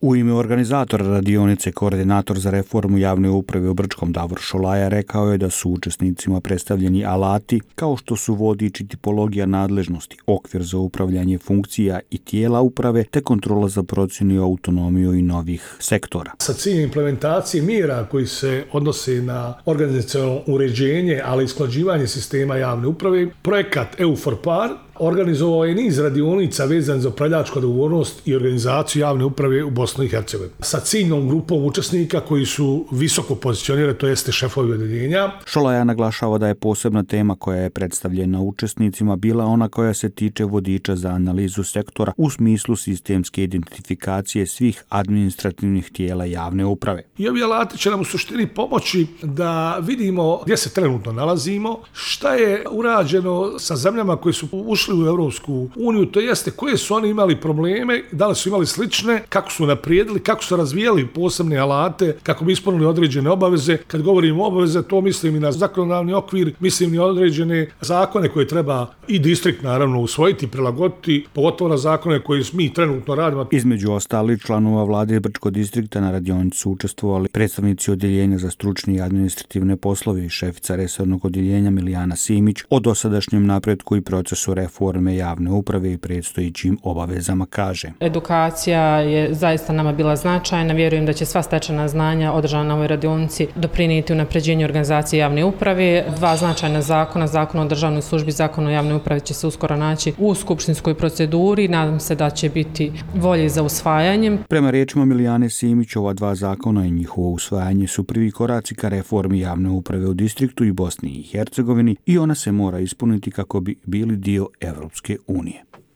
U ime organizatora radionice, koordinator za reformu javne uprave u Brčkom Davor Šolaja rekao je da su učesnicima predstavljeni alati kao što su vodič i tipologija nadležnosti, okvir za upravljanje funkcija i tijela uprave te kontrola za procjenu i autonomiju i novih sektora. Sa ciljem implementacije mjera koji se odnose na organizacionalno uređenje, ali i usklađivanje sistema javne uprave, projekat EU for PAR organizovao je niz radionica vezan za upravljačku odgovornost i organizaciju javne uprave u Bosni i Hercegovini. Sa ciljnom grupom učesnika koji su visoko pozicionirani, to jeste šefovi odeljenja. Šolaja naglašava da je posebna tema koja je predstavljena učesnicima bila ona koja se tiče vodiča za analizu sektora u smislu sistemske identifikacije svih administrativnih tijela javne uprave. I ovi alati će nam u suštini pomoći da vidimo gdje se trenutno nalazimo, šta je urađeno sa zemljama koje su ušli u Europsku uniju, to jeste koje su oni imali probleme, da li su imali slične, kako su naprijedili, kako su razvijali posebne alate, kako bi ispunili određene obaveze. Kad govorimo o obaveze, to mislim i na zakonodavni okvir, mislim i određene zakone koje treba i distrikt naravno usvojiti, prilagoditi, pogotovo na zakone koje mi trenutno radimo. Između ostalih članova vlade Brčkog distrikta na radionici su učestvovali predstavnici odjeljenja za stručne i administrativne poslove i šefica resornog odjeljenja Milijana Simić o dosadašnjem napretku i procesu reforme javne uprave i predstojećim obavezama kaže. Edukacija je zaista nama bila značajna. Vjerujem da će sva stečena znanja održana na ovoj radionici doprinijeti unapređenju organizacije javne uprave. Dva značajna zakona, Zakon o državnoj službi, Zakon o javnoj upravi će se uskoro naći u skupštinskoj proceduri. Nadam se da će biti volje za usvajanjem. Prema riječima Milijane Simić, ova dva zakona i njihovo usvajanje su prvi koraci ka reformi javne uprave u distriktu i Bosni i Hercegovini i ona se mora ispuniti kako bi bili dio Evropske unije.